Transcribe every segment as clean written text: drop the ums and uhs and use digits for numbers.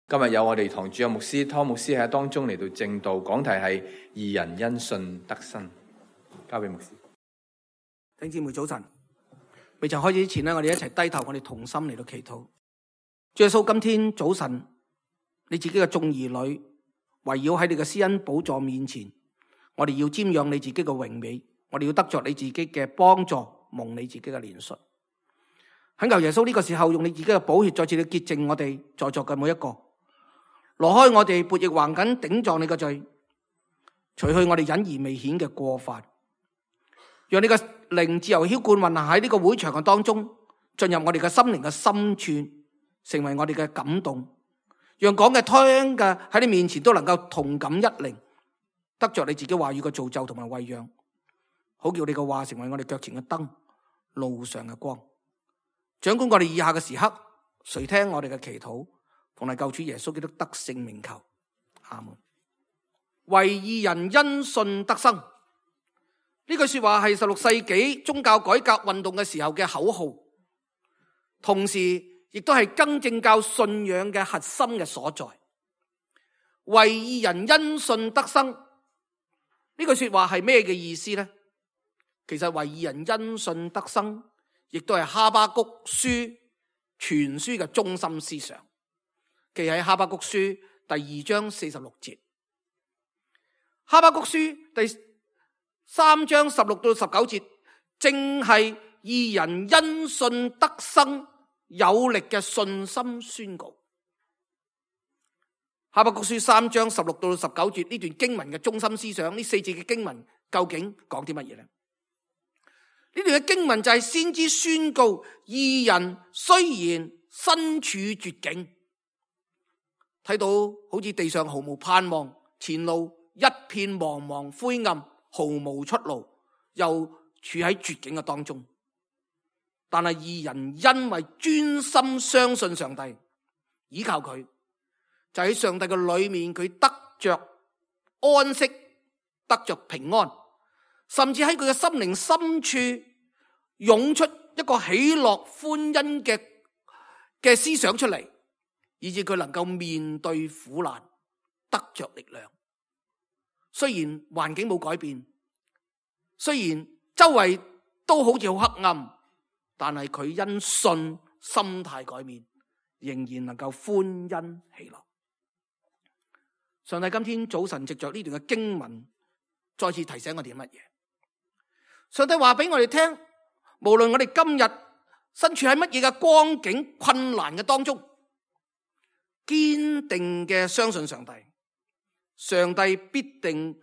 今日有我哋堂主任牧師湯牧師喺當中嚟到證道，講題係義人因信得生。交俾牧師。弟兄姊妹早晨，未曾開始之前我哋一齊低頭，我哋同心嚟到祈禱。主耶穌，今天早晨你自己嘅眾兒女圍繞喺你嘅施恩寶座面前，我哋要瞻仰你自己嘅榮美，我哋要得着你自己嘅幫助，蒙你自己嘅憐恤。懇求耶穌呢個時候用你自己嘅寶血再次嚟潔淨我哋在座嘅每一個，挪開我哋悖逆橫梗頂撞你嘅罪，除去我哋隱而未顯嘅過犯，讓你嘅靈自由澆灌運行喺呢個會場嘅當中，進入我哋嘅心靈嘅深處，成為我哋嘅感動，讓講嘅聽嘅喺你面前都能夠同感一靈，得着你自己話語嘅造就同埋餵養，好叫你嘅話成為我哋腳前嘅燈，路上嘅光。掌管我哋以下嘅時刻，垂聽我哋嘅祈禱，奉係救主耶穌基督得勝名求，阿門。為義人因信得生，呢句說話係16世紀宗教改革運動嘅時候嘅口號，同時亦都係更正教信仰嘅核心嘅所在。為義人因信得生，呢句說話係咩嘅意思呢？其實為義人因信得生，亦都係哈巴谷書全書嘅中心思想，記喺哈巴谷書第2章46節。哈巴谷書第3章16到19節，正係義人因信得生有力嘅信心宣告。哈巴谷書3章16到19節呢段經文嘅中心思想，呢4節嘅經文究竟講啲乜嘢呢？呢段嘅經文就係先知宣告，義人雖然身處絕境，睇到好似地上毫無盼望，前路一片茫茫灰暗，毫無出路，又處喺絕境嘅當中，但係義人因為專心相信上帝，依靠佢，就喺上帝嘅裏面，佢得着安息，得着平安，甚至喺佢嘅心靈深處湧出一個喜樂歡欣嘅思想出嚟，以致佢能夠面對苦難，得着力量。雖然環境冇改變，雖然周圍都好似好黑暗，但係佢因信心態改變，仍然能夠歡欣喜樂。上帝今天早晨藉着呢段嘅經文，再次提醒我哋乜嘢？上帝話俾我哋聽，無論我哋今日身處喺乜嘢嘅光景困難嘅當中，堅定嘅相信上帝，上帝必定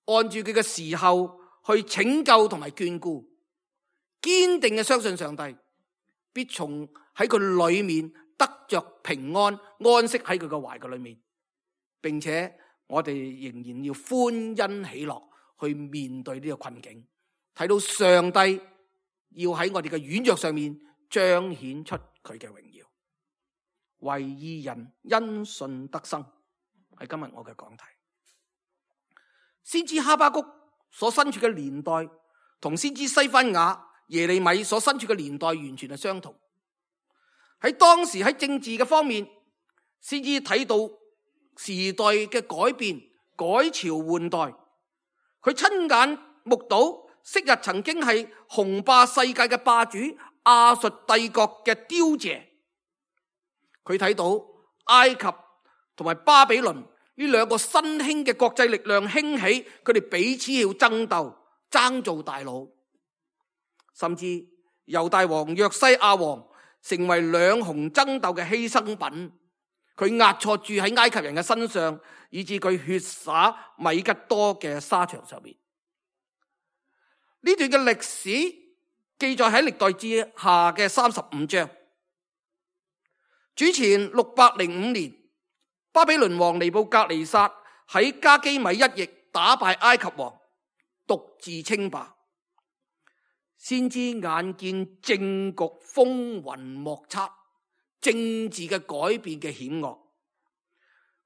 按住佢嘅時候去拯救同埋眷顧。堅定嘅相信上帝必從喺佢裏面得着平安，安息喺佢嘅懷嘅裏面，並且我哋仍然要歡欣喜樂去面對呢個困境，睇到上帝要喺我哋嘅軟弱上面彰顯出佢嘅榮耀。為義人因信得生，係今日我嘅講題。先知哈巴谷所身處嘅年代同先知西番雅、耶利米所身處嘅年代完全係相同。喺當時喺政治嘅方面，先知睇到時代嘅改變，改朝換代，佢親眼目睹昔日曾經係雄霸世界嘅霸主亞述帝國嘅凋謝。佢睇到埃及同埋巴比倫呢兩個新興嘅國際力量興起，佢哋彼此要爭鬥，爭做大佬，甚至猶大王約西亞王成為兩雄爭鬥嘅犧牲品，佢壓錯住喺埃及人嘅身上，以致佢血灑米吉多嘅沙場上面。呢段嘅歷史記載喺歷代志下嘅35章。主前605年，巴比倫王尼布甲尼撒喺加基米一役打敗埃及王，獨自稱霸。先知眼見政局風雲莫測，政治嘅改變嘅險惡，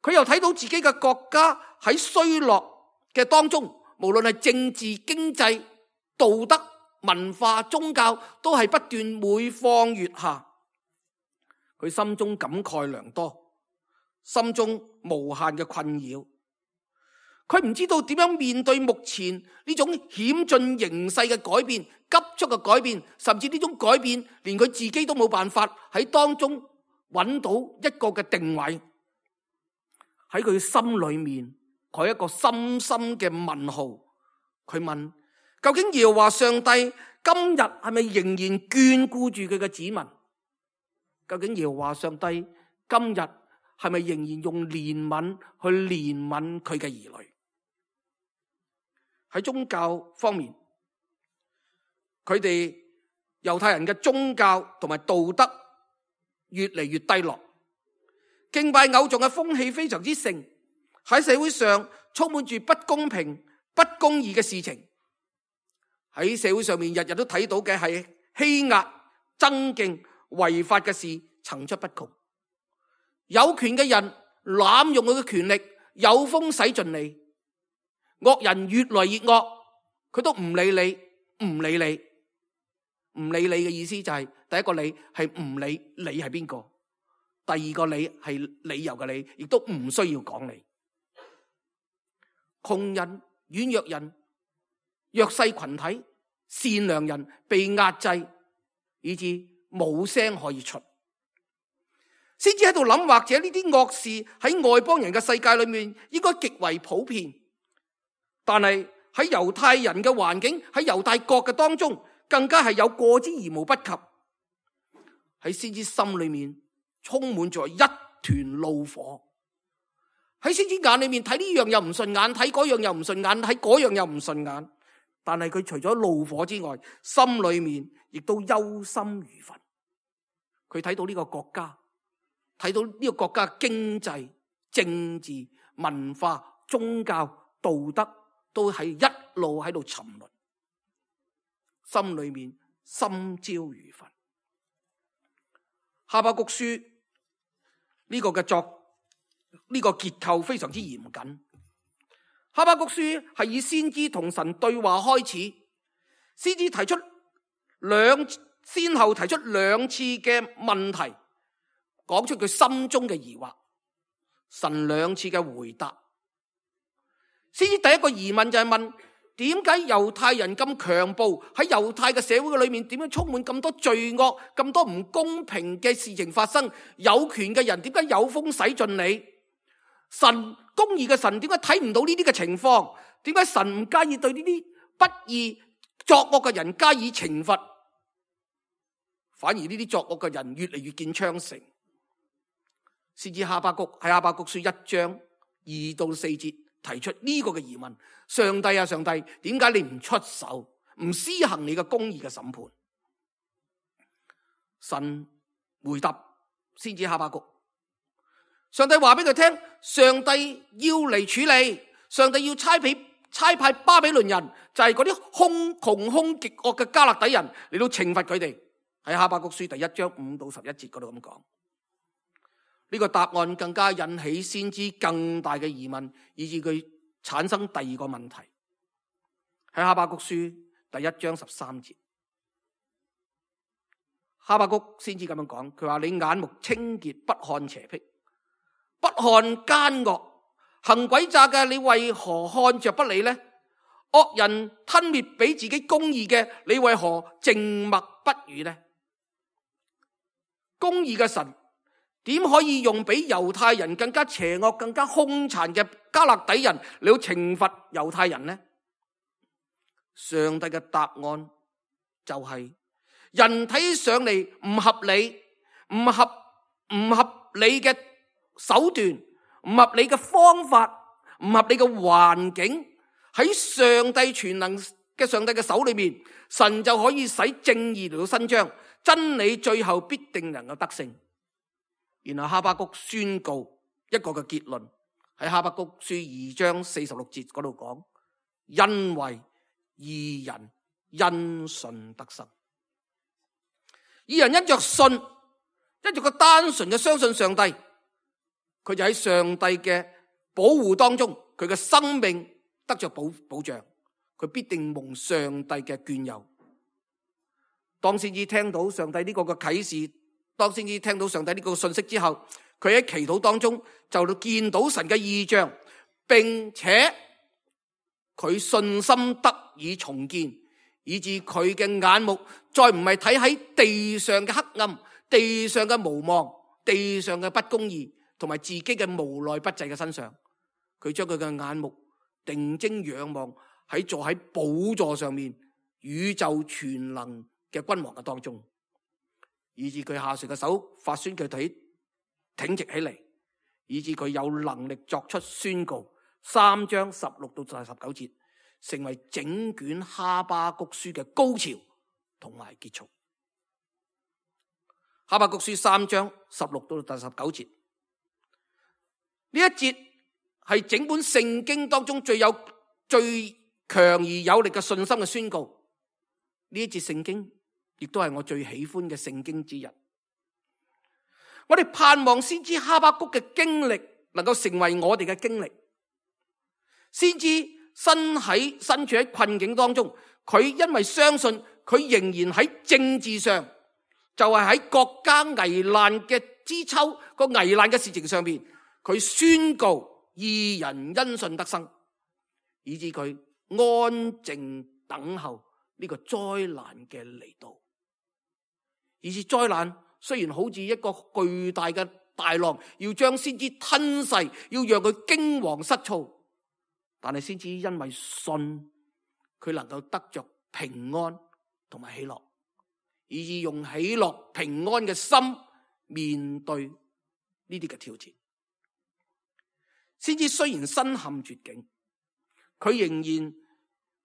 佢又睇到自己嘅國家喺衰落嘅當中，無論係政治、經濟、道德、文化、宗教，都係不斷每況愈下。佢心中感慨良多，心中無限嘅困擾。佢唔知道點樣面對目前呢種險峻形勢嘅改變、急速嘅改變，甚至呢種改變連佢自己都冇辦法喺當中揾到一個嘅定位。喺佢心裏面，佢一個深深嘅問號。佢問：究竟耶和華上帝今日係咪仍然眷顧住佢嘅子民？究竟耶和華上帝今日係咪仍然用憐憫去憐憫佢嘅兒女？喺宗教方面，佢哋猶太人嘅宗教同埋道德越嚟越低落，敬拜偶像嘅風氣非常之盛，喺社會上充滿住不公平、不公義嘅事情。喺社會上面日日都睇到嘅係欺壓、爭競、違法嘅事層出不窮。有權嘅人濫用佢嘅權力，有風使盡你。惡人越來越惡，佢都唔理你，唔理你，唔理你嘅意思就係第一個你係唔理你係邊個，第二個你係理由嘅你，亦都唔需要講你。窮人、軟弱人、弱勢群體、善良人被壓制，以致冇聲可以出，先至喺度諗，或者呢啲惡事喺外邦人嘅世界裏面應該極為普遍。但係喺猶太人嘅環境，喺猶太國嘅當中，更加係有過之而無不及。喺先知心裏面充滿咗一團怒火，喺先知眼裏面睇呢樣又唔順眼，睇嗰樣又唔順眼，睇嗰樣又唔順眼。但係佢除咗怒火之外，心裏面亦都憂心如焚。佢睇到呢個國家，睇到呢個國家嘅經濟、政治、文化、宗教、道德都係一路喺度沉淪，心裏面心焦如焚。哈巴谷書呢個嘅呢個結構非常之嚴謹。哈巴谷書係以先知同神對話開始，先知先後提出兩次嘅問題，講出佢心中嘅疑惑，神兩次嘅回答。先知第一個疑問就係問，點解猶太人咁強暴？喺猶太嘅社會裏面，點樣充滿咁多罪惡、咁多唔公平嘅事情發生？有權嘅人點解有風使盡你？神公義嘅神點解睇唔到呢啲嘅情況？點解神唔介意對呢啲不義作惡嘅人加以懲罰？反而呢啲作惡嘅人越嚟越見昌盛。先知哈巴谷喺哈巴谷書1章2到4節提出呢個嘅疑問：上帝啊，上帝，點解你唔出手，唔施行你嘅公義嘅審判？神回答先知哈巴谷，上帝話俾佢聽，上帝要嚟處理，上帝要差派巴比倫人，就係嗰啲窮兇極惡嘅迦勒底人嚟到懲罰佢哋。喺哈巴谷書第1章5到11節嗰度咁講。呢個答案更加引起先知更大嘅疑問，以致佢產生第二個問題。喺哈巴谷書第1章13節，哈巴谷先知咁樣講，佢話：你眼目清潔，不看邪僻，不看奸惡，行詭詐嘅，你為何看着不理呢？惡人吞滅比自己公義嘅，你為何靜默不語呢？公義嘅神點可以用比猶太人更加邪惡、更加兇殘嘅迦勒底人嚟到懲罰猶太人呢？上帝嘅答案就係：人睇上嚟唔合理、唔合理嘅手段、唔合理嘅方法、唔合理嘅環境，喺上帝全能嘅上帝嘅手裏面，神就可以使正義嚟到伸張，真理最後必定能夠得勝。然後哈巴谷宣告一個嘅結論，喺哈巴谷書2章46節嗰度講：因為義人因信得生。義人因着信，因着個單純嘅相信上帝，佢就喺上帝嘅保護當中，佢嘅生命得着保障，佢必定蒙上帝嘅眷佑。當先至聽到上帝呢個嘅啟示，當先至聽到上帝呢個信息之後，佢佢喺祈禱當中就見到神嘅異象，並且佢信心得以重建，以致佢嘅眼目再唔係睇喺地上嘅黑暗、地上嘅無望、地上嘅不公義同埋自己嘅無奈不濟嘅身上，佢將佢嘅眼目定睛仰望喺坐喺寶座上面宇宙全能嘅君王嘅當中，以致佢下垂嘅手發酸嘅腿挺直起嚟，以致佢有能力作出宣告。3章16到19節成為整卷哈巴谷書嘅高潮同埋結束。哈巴谷書3章16到19節呢一節係整本聖經當中最強而有力嘅信心嘅宣告。呢一節聖經亦都係我最喜歡嘅聖經之一。我哋盼望先知哈巴谷嘅經歷能夠成為我哋嘅經歷。先知身處喺困境當中，佢因為相信佢仍然喺政治上，就係喺國家危難嘅之秋個危難嘅事情上面，佢宣告義人因信得生，以致佢安靜等候呢個災難嘅嚟到。以致災難雖然好似一個巨大嘅大浪，要將先知吞噬，要讓佢驚惶失措，但係先知因為信，佢能夠得着平安同埋喜樂，以致用喜樂平安嘅心面對呢啲嘅挑戰。先知雖然身陷絕境，佢仍然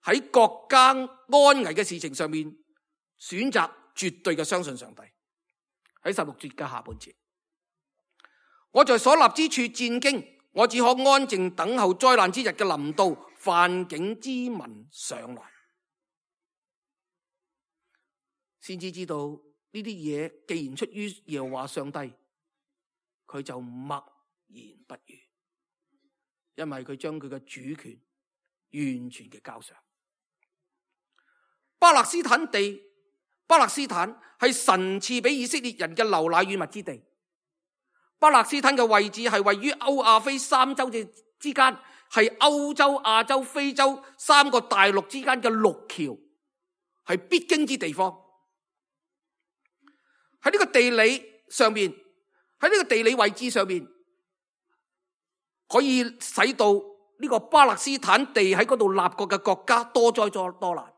喺國家安危嘅事情上面選擇絕對嘅相信上帝。喺16節嘅下半節，我在所立之處戰驚，我只可安靜等候災難之日嘅臨到，犯境之民上來。先知知道呢啲嘢既然出於耶和華上帝，佢就默言不語，因為佢將佢嘅主權完全嘅交上。巴勒斯坦係神賜俾以色列人嘅流奶與蜜之地。巴勒斯坦嘅位置係位於歐亞非三洲之間，係歐洲、亞洲、非洲3個大陸之間嘅陸橋，係必經之地方。喺呢個地理上面，喺呢個地理位置上面，可以使到呢個巴勒斯坦地喺嗰度立國嘅國家多災多難。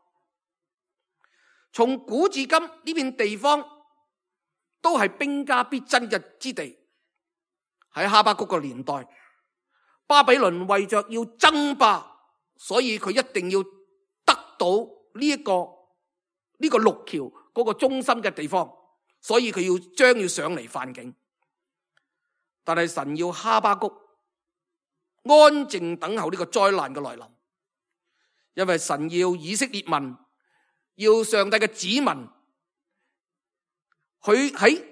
從古至今呢片地方都係兵家必爭嘅之地。喺哈巴谷嘅年代，巴比倫為着要爭霸，所以佢一定要得到呢個陸橋嗰個中心嘅地方，所以佢將要上嚟犯境。但係神要哈巴谷安靜等候呢個災難嘅來臨，因為神要以色列民，要上帝嘅子民，佢喺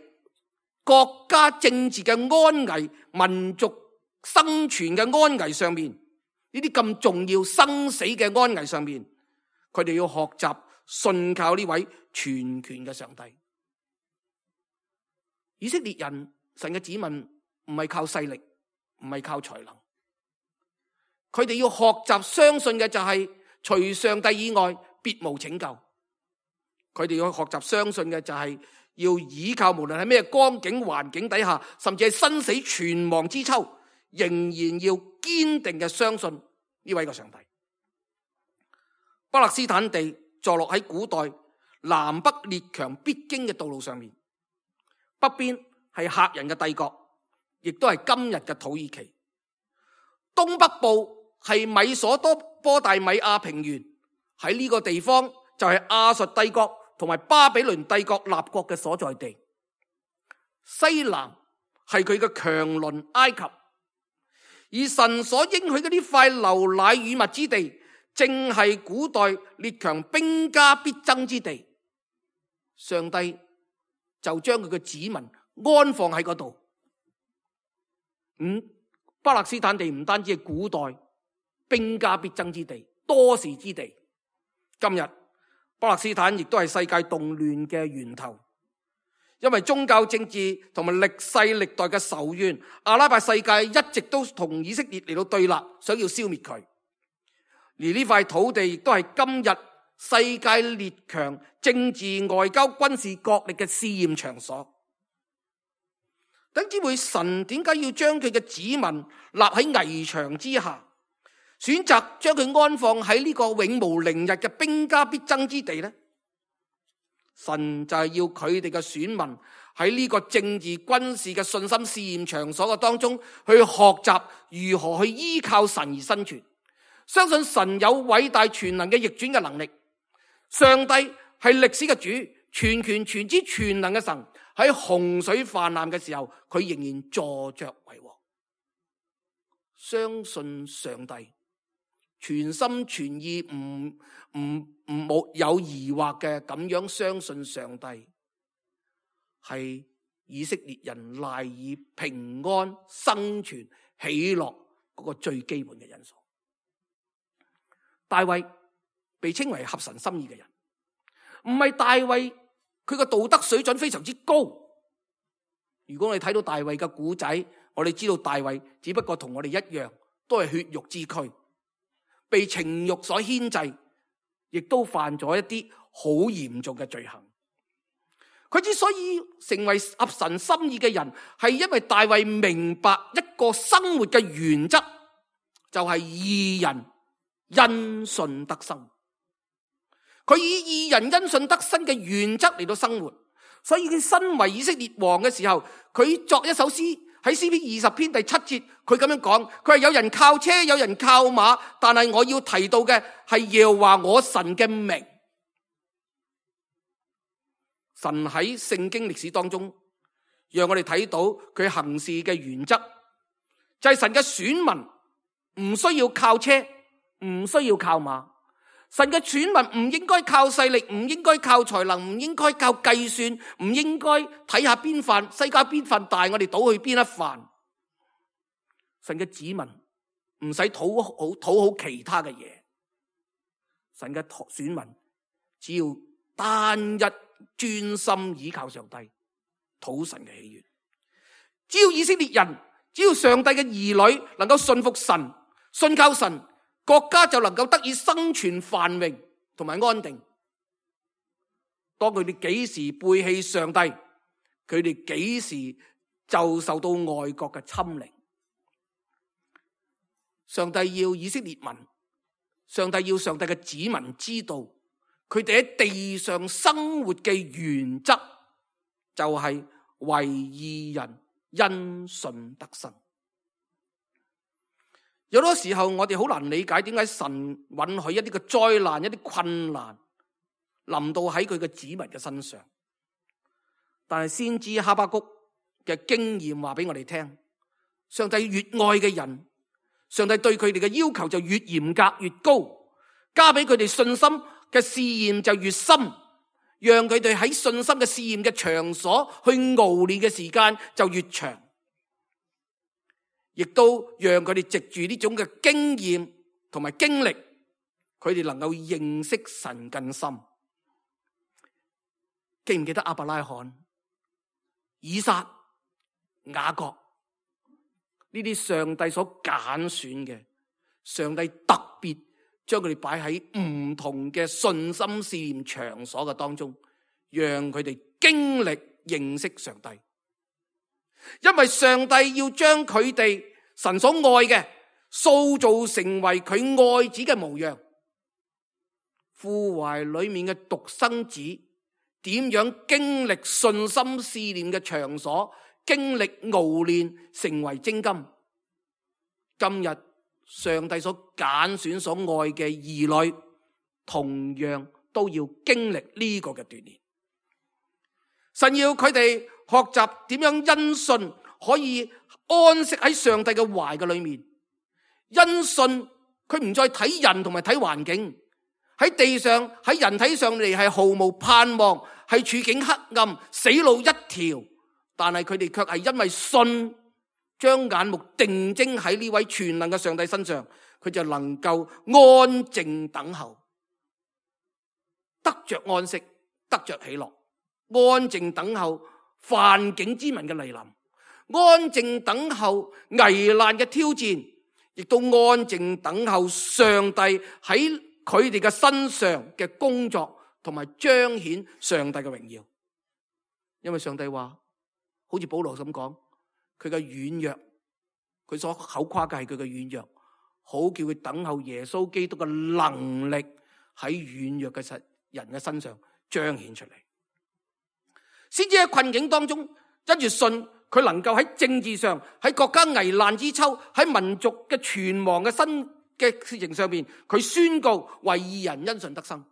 國家政治嘅安危、民族生存嘅安危上面，呢啲咁重要生死嘅安危上面，佢哋要學習信靠呢位全權嘅上帝。以色列人，神嘅子民唔係靠勢力，唔係靠才能，佢哋要學習相信嘅就係除上帝以外別無拯救。佢哋要學習相信嘅就係要依靠，無論喺咩光景環境底下，甚至係生死存亡之秋，仍然要堅定嘅相信呢位嘅上帝。巴勒斯坦地坐落喺古代南北列強必經嘅道路上面，北邊係赫人嘅帝國，亦都係今日嘅土耳其。東北部係米索波大米亞平原，喺呢個地方就係亞述帝國同埋巴比倫帝國立國嘅所在地。西南係佢嘅強鄰埃及，而神所應許嘅呢塊流奶與蜜之地，正係古代列強兵家必爭之地。上帝就將佢嘅子民安放喺嗰度。巴勒斯坦地唔單止係古代兵家必爭之地、多事之地，今日巴勒斯坦亦都係世界動亂嘅源頭，因為宗教政治同埋歷世歷代嘅仇怨，阿拉伯世界一直都同以色列嚟到對立，想要消滅佢。而呢塊土地亦都係今日世界列強政治、外交、軍事角力嘅試驗場所。弟兄姊妹，神點解要將佢嘅子民立喺危牆之下，選擇將佢安放喺呢個永無寧日嘅兵家必爭之地呢？神就係要佢哋嘅選民喺呢個政治軍事嘅信心試驗場所嘅當中，去學習如何去依靠神而生存，相信神有偉大全能嘅逆轉嘅能力。上帝係歷史嘅主，全權全知全能嘅神。喺洪水泛濫嘅時候，佢仍然坐着為王。相信上帝，全心全意，冇有疑惑嘅咁樣相信上帝，係以色列人賴以平安生存喜樂嗰個最基本嘅因素。大衛被稱為合神心意嘅人，唔係大衛佢個道德水準非常之高。如果我哋睇到大衛嘅古仔，我哋知道大衛只不過同我哋一樣，都係血肉之軀，被情欲所牽制，亦都犯咗一啲好嚴重嘅罪行。佢之所以成為合神心意嘅人，係因為大衛明白一個生活嘅原則，就係義人因信得生。佢以義人因信得生嘅原則嚟到生活，所以佢身為以色列王嘅時候，佢作一首詩，喺詩篇20篇第7節，佢咁樣講，佢係有人靠車，有人靠馬，但係我要提到嘅係耶和華我神嘅名。神喺聖經歷史當中，讓我哋睇到佢行事嘅原則，就係神嘅選民唔需要靠車，唔需要靠馬。神嘅選民唔應該靠勢力，唔應該靠才能，唔應該靠計算，唔應該睇下邊瓣世界邊瓣大，我哋倒去邊一瓣。神嘅子民唔使討好其他嘅嘢，神嘅選民只要單一專心倚靠上帝，討神嘅喜悅。只要以色列人，只要上帝嘅兒女能夠信服神，信靠神，國家就能夠得以生存繁榮同埋安定。當佢哋幾時背棄上帝，佢哋幾時就受到外國嘅侵凌。上帝要以色列民，上帝要上帝嘅子民知道，佢哋喺地上生活嘅原則就係為義人因信得生。有好多時候我哋好難理解點解神允許一啲嘅災難、一啲困難臨到喺佢嘅子民嘅身上。但係先知哈巴谷嘅經驗話俾我哋聽，上帝越愛嘅人，上帝對佢哋嘅要求就越嚴格越高，加俾佢哋信心嘅試驗就越深，讓佢哋喺信心嘅試驗嘅場所去熬練嘅時間就越長。亦都讓佢哋藉住呢種嘅經驗同埋經歷，佢哋能夠認識神更深。記唔記得亞伯拉罕、以撒、雅各呢啲上帝所揀選嘅，上帝特別將佢哋擺喺唔同嘅信心試驗場所嘅當中，讓佢哋經歷認識上帝。因為上帝要將佢哋神所愛嘅塑造成為佢愛子嘅模樣。父懷裏面嘅獨生子點樣經歷信心試驗嘅場所，經歷熬練成為精金。今日上帝所揀選所愛嘅兒女，同樣都要經歷呢個嘅鍛煉。神要佢哋學習點樣因信可以安息喺上帝嘅懷嘅裏面。因信佢唔再睇人同埋睇環境，喺地上喺人體上嚟係毫無盼望，係處境黑暗，死路一條。但係佢哋卻係因為信，將眼目定睛喺呢位全能嘅上帝身上，佢就能夠安靜等候，得着安息，得着喜樂。安靜等候犯境之民嘅嚟臨，安靜等候危難嘅挑戰，亦都安靜等候上帝喺佢哋嘅身上嘅工作，同埋彰顯上帝嘅榮耀。因為上帝話，好似保羅咁講，佢嘅軟弱，佢所口誇嘅係佢嘅軟弱，好叫佢等候耶穌基督嘅能力喺軟弱嘅人嘅身上彰顯出嚟，先至喺困境當中，因住信佢能夠喺政治上，喺國家危難之秋，喺民族嘅存亡嘅新嘅事情上面，佢宣告為義人因信得生。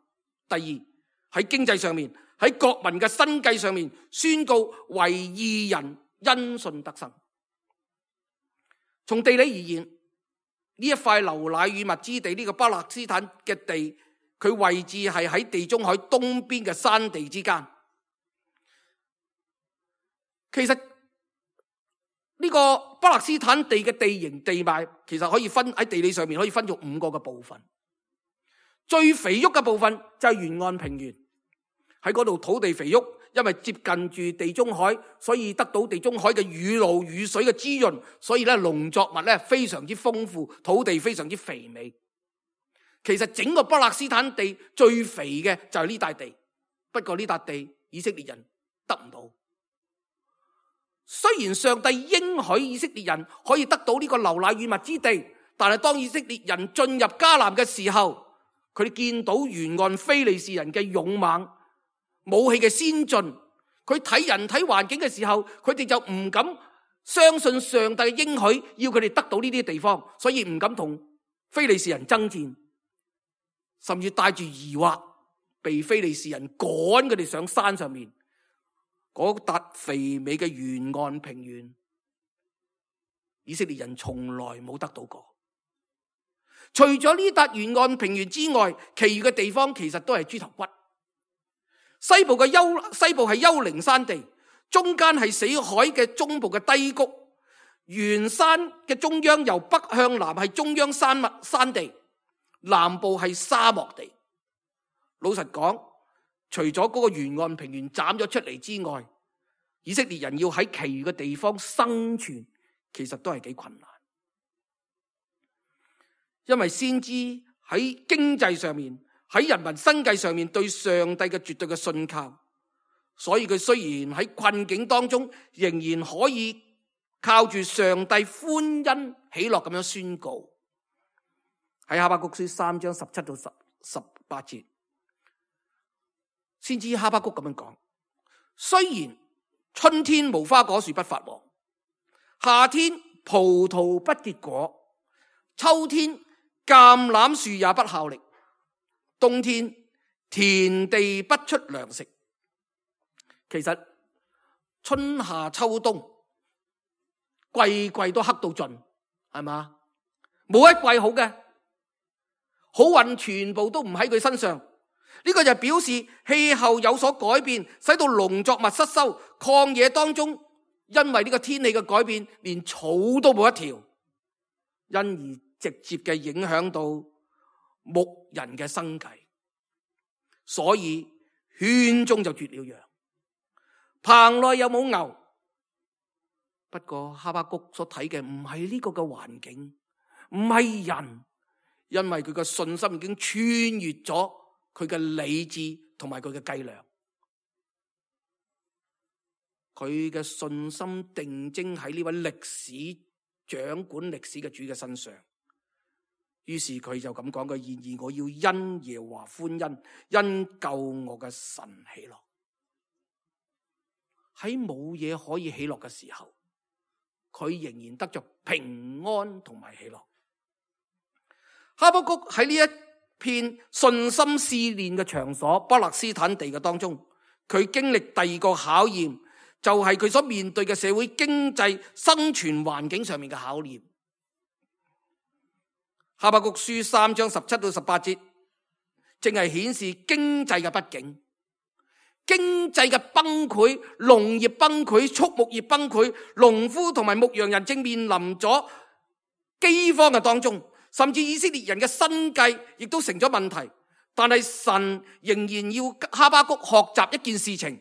第二，喺經濟上面，喺國民嘅生計上面，宣告為義人因信得生。從地理而言，呢一塊流奶與蜜之地，呢個巴勒斯坦嘅地，佢位置係喺地中海東邊嘅山地之間。其實呢個巴勒斯坦地嘅地形地貌，其實可以分喺地理上面可以分做5個嘅部分。最肥沃嘅部分就係沿岸平原，喺嗰度土地肥沃，因為接近住地中海，所以得到地中海嘅雨露雨水嘅滋潤，所以咧農作物咧非常之豐富，土地非常之肥美。其實整個巴勒斯坦地最肥嘅就係呢笪地，不過呢笪地以色列人得唔到。雖然上帝應許以色列人可以得到呢個流奶與蜜之地，但係當以色列人進入迦南嘅時候，佢哋見到沿岸非利士人嘅勇猛、武器嘅先進，佢睇人睇環境嘅時候，佢哋就唔敢相信上帝嘅應許，要佢哋得到呢啲地方，所以唔敢同非利士人爭戰，甚至帶住疑惑，被非利士人趕佢哋上山上面。嗰笪肥美嘅沿岸平原，以色列人從來冇得到過。除咗呢笪沿岸平原之外，其餘嘅地方其實都係豬頭骨。西部係丘陵山地，中間係死海嘅中部嘅低谷，原山嘅中央由北向南係中央山地，南部係沙漠地。老實講，除咗嗰個沿岸平原斬咗出嚟之外，以色列人要喺其餘嘅地方生存，其實都係幾困難。因為先知喺經濟上面，喺人民生計上面對上帝嘅絕對嘅信靠，所以佢雖然喺困境當中，仍然可以靠住上帝歡欣喜樂咁樣宣告。喺哈巴谷書3章17到18節，先知哈巴谷咁樣講：雖然春天無花果樹不發黃，夏天葡萄不結果，秋天橄欖樹也不效力，冬天田地不出糧食。其實春夏秋冬季季都黑到盡，係嘛？冇一季好嘅，好運全部都唔喺佢身上。呢個就表示氣候有所改變，使到農作物失收。曠野當中，因為呢個天氣嘅改變，連草都冇一條，因而直接嘅影響到牧人嘅生計。所以圈中就絕了羊，棚內有冇牛。不過哈巴谷所睇嘅唔係呢個嘅環境，唔係人，因為佢嘅信心已經穿越咗佢嘅理智同埋佢嘅計量，佢嘅信心定睛喺呢位歷史掌管歷史嘅主嘅身上。於是佢就咁講：然而我要因耶和華歡欣，因救我嘅神喜樂。喺冇嘢可以喜樂嘅時候，佢仍然得着平安同埋喜樂。哈巴谷喺呢一片信心試煉嘅場所，巴勒斯坦地嘅當中，佢經歷第二個考驗，就係佢所面對嘅社會經濟生存環境上面嘅考驗。哈巴谷書3章17到18節，正係顯示經濟嘅不景，經濟嘅崩潰，農業崩潰，畜牧業崩潰，農夫同埋牧羊人正面臨咗饑荒嘅當中。甚至以色列人嘅生計亦都成咗問題，但係神仍然要哈巴谷學習一件事情，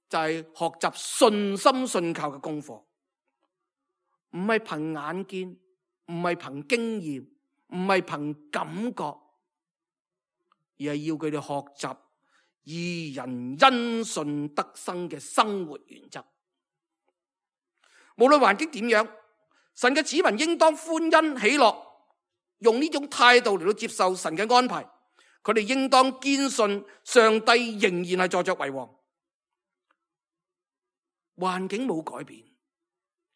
就係學習信心信靠嘅功課，唔係憑眼見，唔係憑經驗，唔係憑感覺，而係要佢哋學習義人因信得生嘅生活原則。無論環境點樣，神嘅子民應當歡欣喜樂，用呢種態度嚟到接受神嘅安排。佢哋應當堅信上帝仍然係坐着為王。環境冇改變，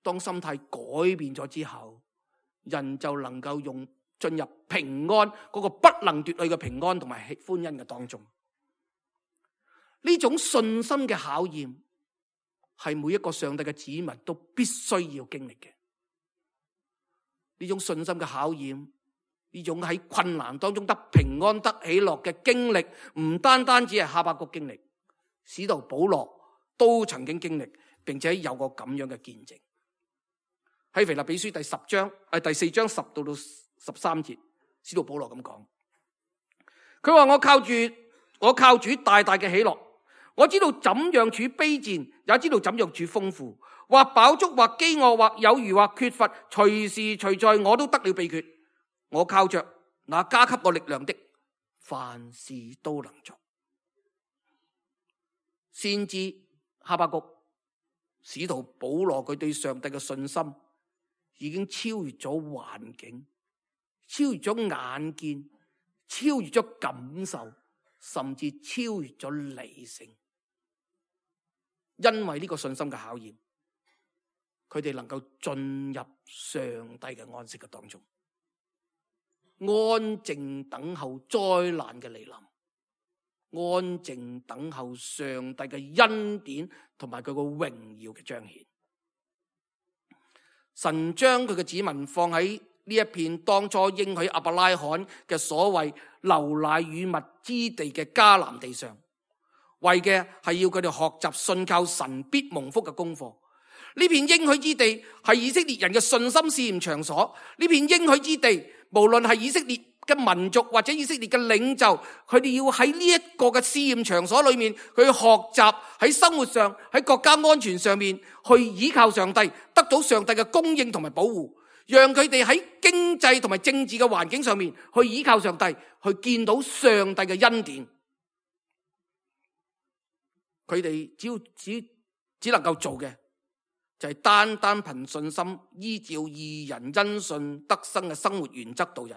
當心態改變咗之後，人就能夠進入平安嗰個不能奪去嘅平安同埋歡欣嘅當中。呢種信心嘅考驗係每一個上帝嘅子民都必須要經歷嘅。呢種信心嘅考驗，呢種喺困難當中得平安得喜樂嘅經歷，唔單單只係哈巴谷經歷，使徒保羅都曾經經歷，並且有個咁樣嘅見證。喺腓立比書第4章10到13節，使徒保羅咁講，佢話我靠主大大嘅喜樂，我知道怎樣處卑賤，也知道怎樣處豐富，或飽足，或飢餓，或有餘，或缺乏，隨時隨在我都得了秘訣。我靠着那加給我力量的，凡事都能做。先知哈巴谷、使徒保羅佢對上帝嘅信心已經超越咗環境，超越咗眼見，超越咗感受，甚至超越咗理性。因為呢個信心嘅考驗，佢哋能夠進入上帝嘅安息嘅當中，安靜等候災難嘅嚟臨，安靜等候上帝嘅恩典同埋佢個榮耀嘅彰顯。神將佢嘅子民放喺呢一片當初應許亞伯拉罕嘅所謂流奶與蜜之地嘅迦南地上，為嘅係要佢哋學習信靠神必蒙福嘅功課。呢片應許之地係以色列人嘅信心試驗場所。呢片應許之地，無論係以色列嘅民族或者以色列嘅領袖，佢哋要喺呢一個嘅試驗場所裏面去學習，喺生活上，喺國家安全上面去依靠上帝，得到上帝嘅供應同埋保護，讓佢哋喺經濟同埋政治嘅環境上面去依靠上帝，去見到上帝嘅恩典。佢哋只能夠做嘅就係單單憑信心，依照義人因信得生嘅生活原則度日。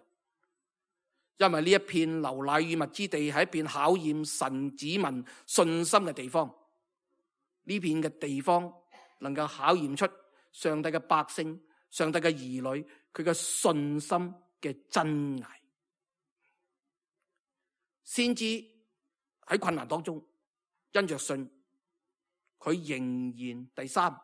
因為呢一片流奶與蜜之地係一片考驗神子民信心嘅地方，呢片嘅地方能夠考驗出上帝嘅百姓、上帝嘅兒女佢嘅信心嘅真偽。先知喺困難當中，因着信，佢仍然第三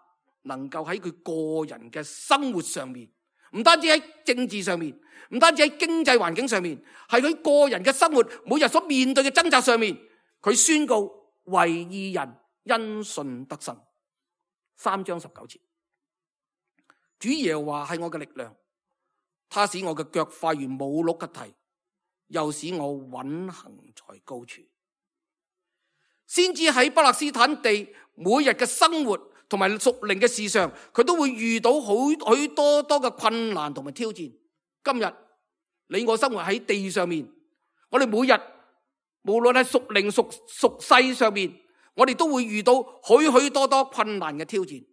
能夠喺佢個人嘅生活上面，唔單止喺政治上面，唔單止喺經濟環境上面，係佢個人嘅生活每日所面對嘅掙扎上面，佢宣告為義人因信得生。3章19節，主耶和華係我嘅力量，他使我嘅腳快如母鹿嘅蹄，又使我穩行在高處。先至喺巴勒斯坦地每日嘅生活同埋屬靈嘅事上，佢都會遇到許多嘅困難同埋挑戰。今日你我生活喺地上面，我哋每日無論係屬靈屬世上面，我哋都會遇到許多困難嘅挑戰。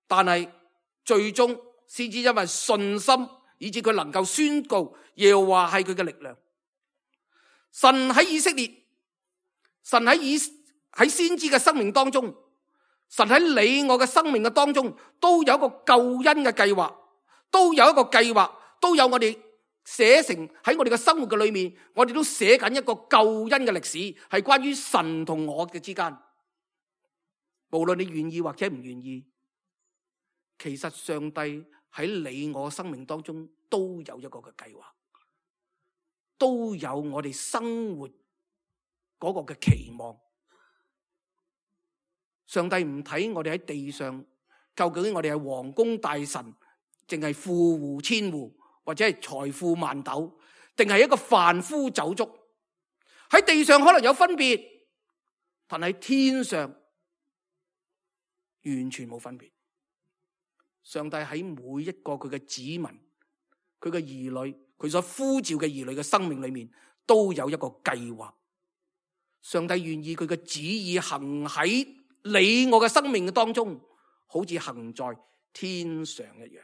但係最終先至因為信心，以致佢能夠宣告耶和華係佢嘅力量。神喺以色列，神喺先知嘅生命當中，神喺你我嘅生命嘅當中，都有一個救恩嘅計劃，都有一個計劃，都有我哋寫成喺我哋嘅生活嘅裏面，我哋都寫緊一個救恩嘅歷史，係關於神同我嘅之間。無論你願意或者唔願意，其實上帝喺你我生命當中都有一個嘅計劃，都有我哋生活嗰個嘅期望。上帝唔睇我哋喺地上，究竟我哋係王公大臣，淨係富戶千戶，或者係財富萬斗，定係一個凡夫走卒。喺地上可能有分別，但喺天上完全冇分別。上帝喺每一個佢嘅子民、佢嘅兒女、佢所呼召嘅兒女嘅生命裏面，都有一個計劃。上帝願意佢嘅旨意行喺你我嘅生命嘅當中，好似行在天上一樣。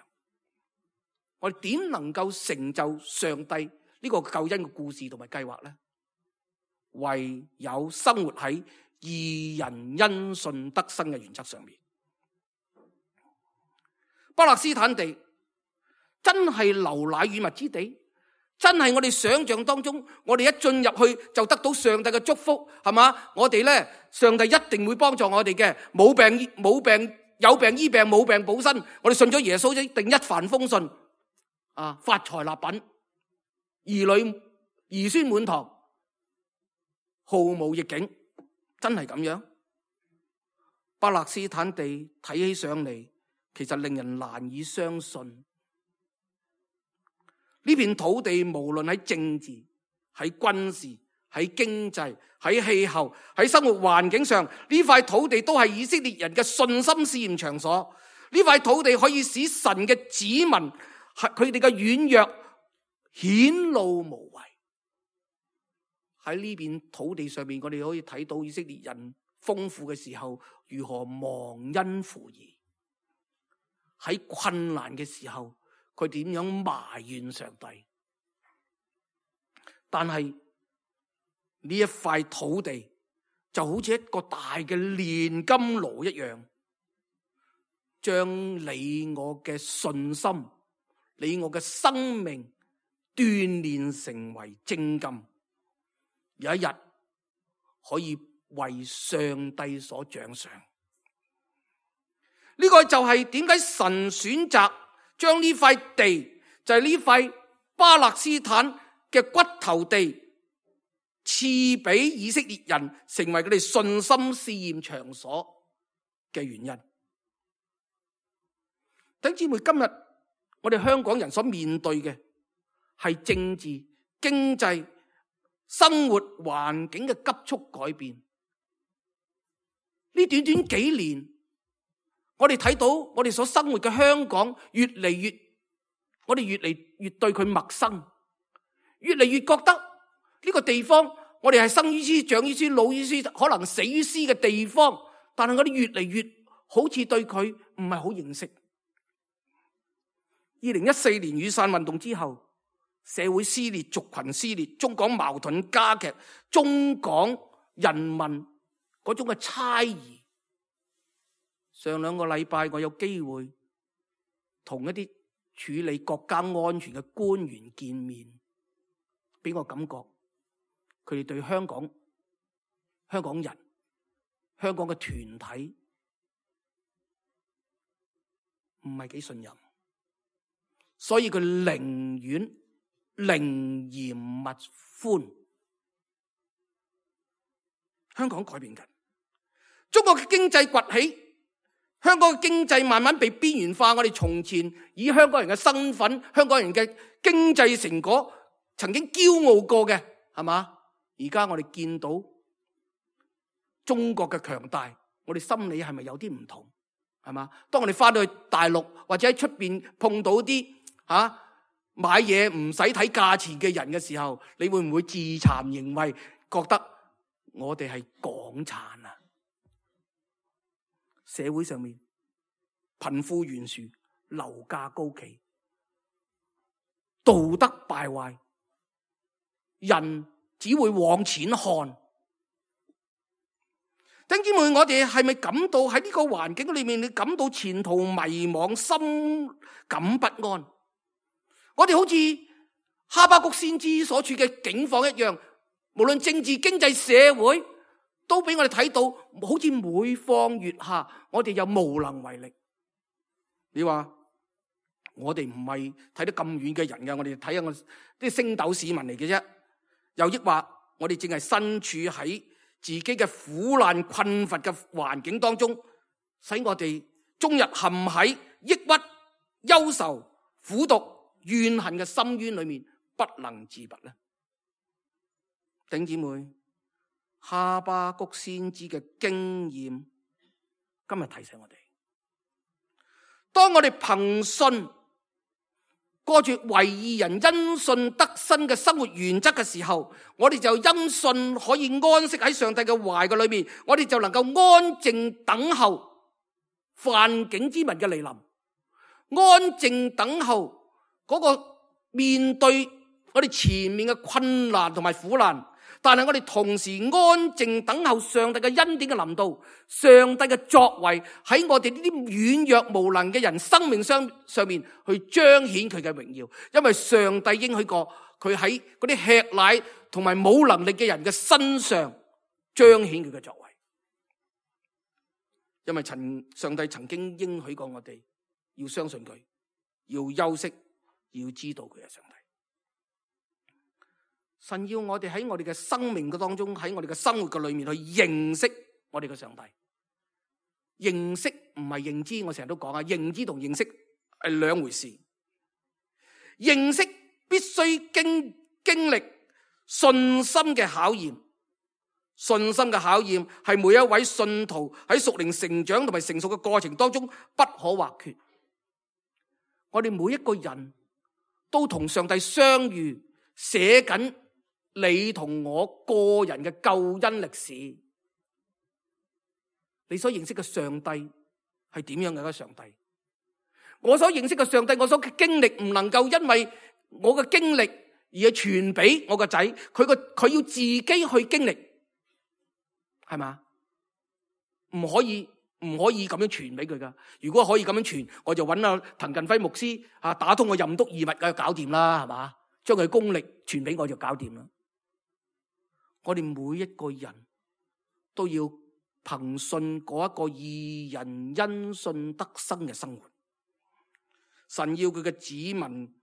我哋點能夠成就上帝呢個救恩嘅故事同埋計劃呢？唯有生活喺義人因信得生嘅原則上面。巴勒斯坦地真係流奶與蜜之地，真係我哋想象當中，我哋一進入去就得到上帝嘅祝福，係嘛？我哋呢，上帝一定會幫助我哋嘅，冇病有病醫病，冇病補身。我哋信咗耶穌一定一帆風順，發財立品，兒女兒孫滿堂，毫無逆境，真係咁樣？巴勒斯坦地睇起上嚟，其實令人難以相信。呢片土地無論喺政治、喺軍事、喺經濟、喺氣候、喺生活環境上，呢塊土地都係以色列人嘅信心試驗場所。呢塊土地可以使神嘅子民佢哋嘅軟弱顯露無遺。喺呢片土地上面，我哋可以睇到以色列人豐富嘅時候，如何忘恩負義；喺困難嘅時候，佢點樣埋怨上帝。但係呢一塊土地就好似一個大嘅煉金爐一樣，將你我嘅信心、你我嘅生命鍛煉成為精金，有一日可以為上帝所獎賞。呢個就係點解神選擇將呢塊地，就係呢塊巴勒斯坦嘅骨頭地，賜俾以色列人，成為佢哋信心試驗場所嘅原因。弟兄姊妹，今日我哋香港人所面對嘅係政治、經濟、生活環境嘅急速改變。呢短短幾年，我哋睇到我哋所生活嘅香港我哋越嚟越對佢陌生，越嚟越覺得呢個地方我哋係生於斯、長於斯、老於斯，可能死於斯嘅地方，但係我哋越嚟越好似對佢唔係好認識。2014年雨傘運動之後，社會撕裂、族群撕裂，中港矛盾加劇，中港人民嗰種嘅猜疑。上2個禮拜，我有機會同一啲處理國家安全嘅官員見面，俾我感覺佢哋對香港人、香港嘅團體唔係幾信任，所以佢寧願寧嚴勿歡。香港改變緊，中國嘅經濟崛起，香港嘅經濟慢慢被邊緣化。我哋從前以香港人嘅身份、香港人嘅經濟成果曾經驕傲過嘅，係嘛？而家我哋見到中國嘅強大，我哋心理係咪有啲唔同？係嘛？當我哋翻到去大陸或者喺出邊碰到啲買嘢唔使睇價錢嘅人嘅時候，你會唔會自慚形穢，覺得我哋係港產啊？社會上面貧富懸殊，樓價高企，道德敗壞，人只會往錢看。弟兄姊妹，我哋係咪感到喺呢個環境裏面，你感到前途迷茫、心感不安？我哋好似哈巴谷先知所處嘅境況一樣，無論政治、經濟、社會，都俾我哋睇到，好似每況愈下，我哋又無能為力。你話我哋唔係睇得咁遠嘅人嘅，我哋睇下我啲星斗市民嚟嘅啫。又抑或我哋淨係身處喺自己嘅苦難困乏嘅環境當中，使我哋終日陷喺抑鬱、憂愁、苦毒、怨恨嘅深淵裏面，不能自拔呢？弟兄姊妹，哈巴谷先知嘅經驗今日提醒我哋，當我哋憑信過住為義人因信得生嘅生活原則嘅時候，我哋就因信可以安息喺上帝嘅懷嘅裏面，我哋就能夠安靜等候犯境之民嘅來臨，安靜等候嗰個面對我哋前面嘅困難同埋苦難，但係我哋同時安靜等候上帝嘅恩典嘅臨到，上帝嘅作為喺我哋呢啲軟弱無能嘅人生命上面去彰顯佢嘅榮耀，因為上帝應許過佢喺嗰啲吃奶同埋冇能力嘅人嘅身上彰顯佢嘅作為，因為上帝曾經應許過我哋要相信佢，要休息，要知道佢係上帝。神要我哋喺我哋嘅生命嘅當中，喺我哋嘅生活嘅裏面去認識我哋嘅上帝。認識唔係認知，我成日都講啊，認知同認識係兩回事。認識必須經歷信心嘅考驗，信心嘅考驗係每一位信徒喺屬靈成長同埋成熟嘅過程當中不可或缺。我哋每一個人都同上帝相遇，寫緊你同我個人嘅救恩歷史。你所認識嘅上帝係點樣嘅一個上帝？我所認識嘅上帝，我所經歷唔能夠因為我嘅經歷而係傳俾我個仔，佢要自己去經歷，係嘛？唔可以咁樣傳俾佢噶。如果可以咁樣傳，我就揾阿滕近輝牧師打通個任督二脈嘅搞掂啦，係嘛？將佢功力傳俾我就搞掂啦。我哋每一個人都要憑信嗰一個義人因信得生嘅生活。神要佢嘅子民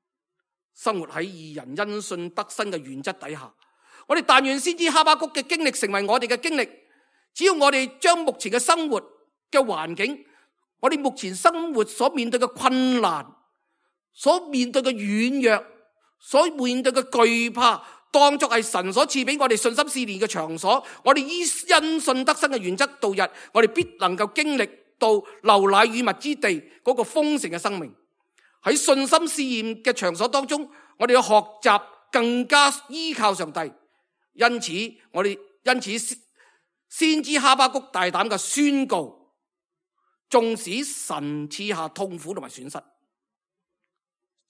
生活喺義人因信得生嘅原則底下。我哋但願先知哈巴谷嘅經歷成為我哋嘅經歷。只要我哋將目前嘅生活嘅環境，我哋目前生活所面對嘅困難，所面對嘅軟弱，所面對嘅懼怕，當作係神所賜俾我哋信心試煉嘅場所，我哋依因信得生嘅原則度日，我哋必能夠經歷到流奶與蜜之地嗰個豐盛嘅生命。喺信心試驗嘅場所當中，我哋要學習更加依靠上帝。因此先知哈巴谷大膽嘅宣告，縱使神賜下痛苦同埋損失，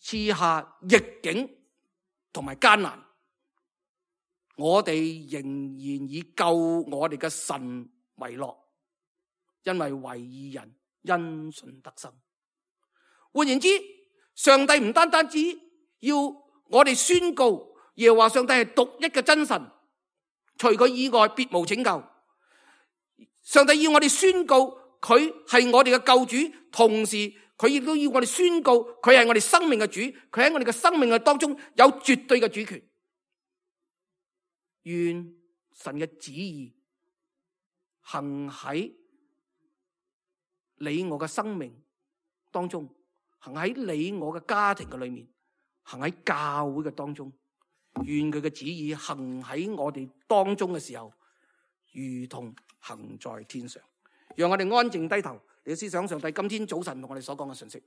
賜下逆境同埋艱難，我哋仍然以救我哋嘅神為樂，因為為義人因信得生。換言之，上帝唔單止要我哋宣告耶和華上帝係獨一嘅真神，除佢以外別無拯救。上帝要我哋宣告佢係我哋嘅救主，同時佢亦都要我哋宣告佢係我哋生命嘅主，佢喺我哋嘅生命嘅當中有絕對嘅主權。願神嘅旨意行喺你我嘅生命當中，行喺你我嘅家庭嘅裏面，行喺教會嘅當中。願佢嘅旨意行喺我哋當中嘅時候，如同行在天上。讓我哋安靜低頭，嚟思想上帝今天早晨同我哋所講嘅信息。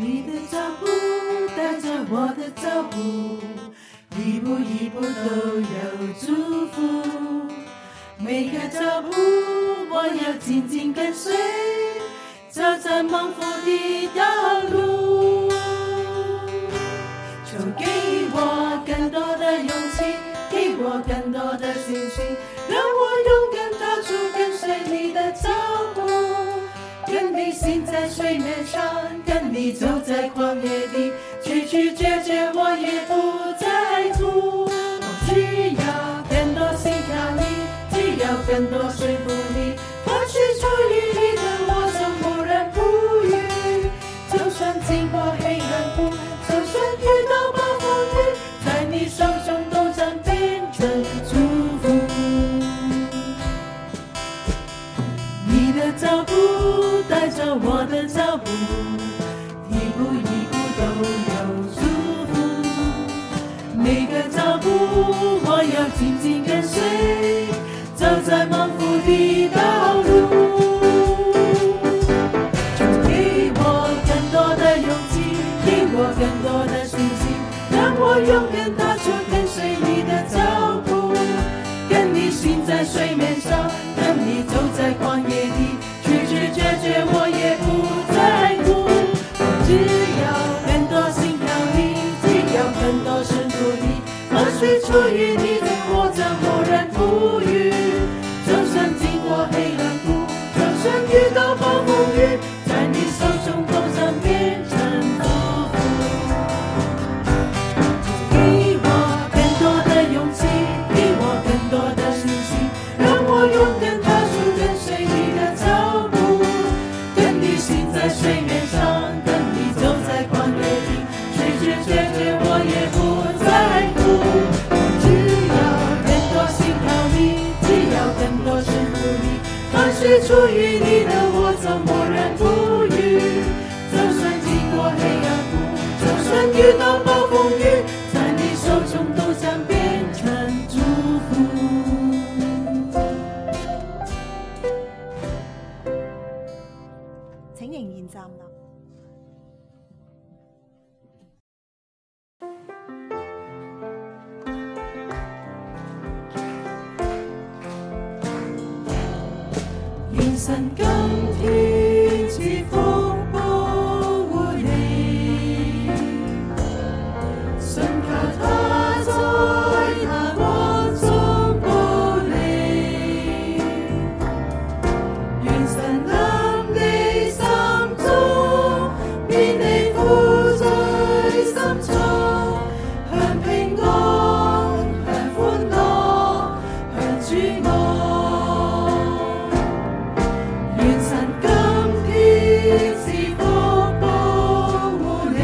你的腳步帶着我的腳步，一步一步都有祝福，每個腳步我要緊緊跟隨，走在蒙福的道路。求給我更多的勇氣，給我更多的信心，讓我勇敢踏出跟隨你的腳步，跟你行在水面上，跟你走在曠野地，曲曲折折我也不在乎。我只要更多信靠你，只要更多順服你，或許出於你的我總不然不語。就算經過黑暗谷，就算遇到暴風雨，在你手中都將變成祝福。你的腳步帶着我的腳步，一步一步都有祝福。每我要緊緊跟隨，走在蒙福的道路。主給我更多的勇氣，給我更多的信心，讓我勇敢踏出跟隨你的腳步。跟你行在水面上，跟你走在曠野地，曲曲折折我也不在乎。只要更多信靠你，只要更多順服你，河水出於你的我將無人不語。就算經過黑暗谷，就算遇到暴風雨，在你手中都將變成祝福。給我更多的勇氣，給我更多的信心，讓我勇敢踏出跟隨你的腳步。跟你行在水面上，跟你走在曠野地，曲曲折折我也不在乎。只要更多信靠你，只要更多順服你，河水出於你的我將無人不語。就算經過黑暗谷，就算遇到暴風雨，在你手中都將變成祝福。請仍然站立。願神今天賜福保護你，信靠他在他光中保你。願神臨你心中，免你負在心中，向平安，向歡樂，向主愛。願神今天賜福保護你，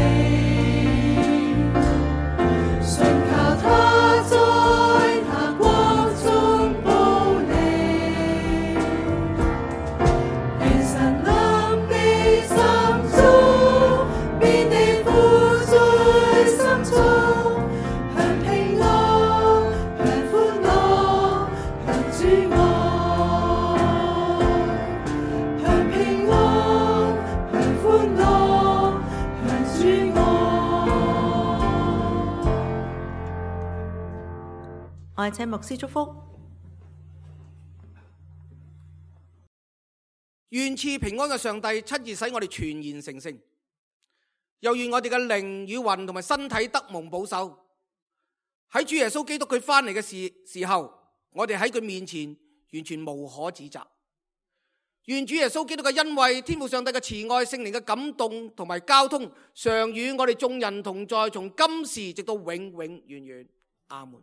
信靠他在他光中保你。願神臨你心中，免你負在心中，向平安，向歡樂，向主愛。向平安，向歡樂，向主愛。我係請牧師祝福。願賜平安嘅上帝親自使我哋全然成聖，又願我哋嘅靈與魂同埋身體得蒙保守。喺主耶穌基督佢翻嚟嘅時候，我哋喺佢面前完全無可指責。願主耶穌基督嘅恩惠、天父上帝嘅慈愛、聖靈嘅感動同埋交通，常與我哋眾人同在，從今時直到永永遠遠。阿門。